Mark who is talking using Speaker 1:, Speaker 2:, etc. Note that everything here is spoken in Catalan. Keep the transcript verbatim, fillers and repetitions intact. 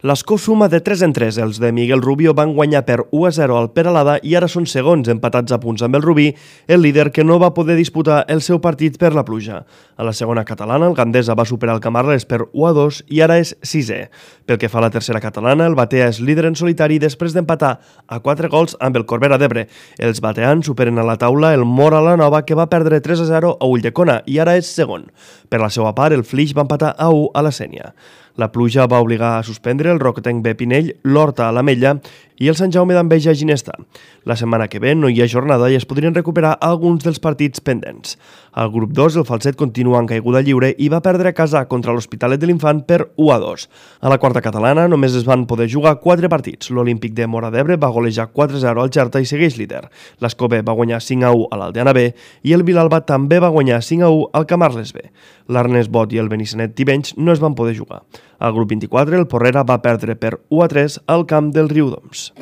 Speaker 1: L'escó suma de tres en tres. Els de Miguel Rubio van guanyar per u a zero al Peralada i ara són segons, empatats a punts amb el Rubí, el líder que no va poder disputar el seu partit per la pluja. A la segona catalana, el Gandesa va superar el Camarles per u a dos i ara és sisè. Pel que fa a la tercera catalana, el Batea és líder en solitari després d'empatar a quatre gols amb el Corbera d'Ebre. Els bateans superen a la taula el Mora la Nova, que va perdre tres a zero a Ulldecona i ara és segon. Per la seva part, el Flix va empatar a u a la Sénia. La pluja va obligar a suspendre el Roquetenc B Pinell, l'Horta a l'Ametlla i el Sant Jaume d'Enveja a Ginesta. La setmana que ve no hi ha jornada i es podrien recuperar alguns dels partits pendents. Al grup dos, el Falset continua en caiguda lliure i va perdre a casa contra l'Hospitalet de l'Infant per u a dos. A la quarta catalana només es van poder jugar quatre partits. L'Olímpic de Móra d'Ebre va golejar quatre a zero al Xerta i segueix líder. L'Escobé va guanyar cinc a u a l'Aldeana B i el Vilalba també va guanyar cinc a u al Camarles B. L'Arnès Bot i el Benissanet Tivenys no es van poder jugar. Al grup vint-i-quatre, el Porrera va perdre per u a tres al camp del Riudoms.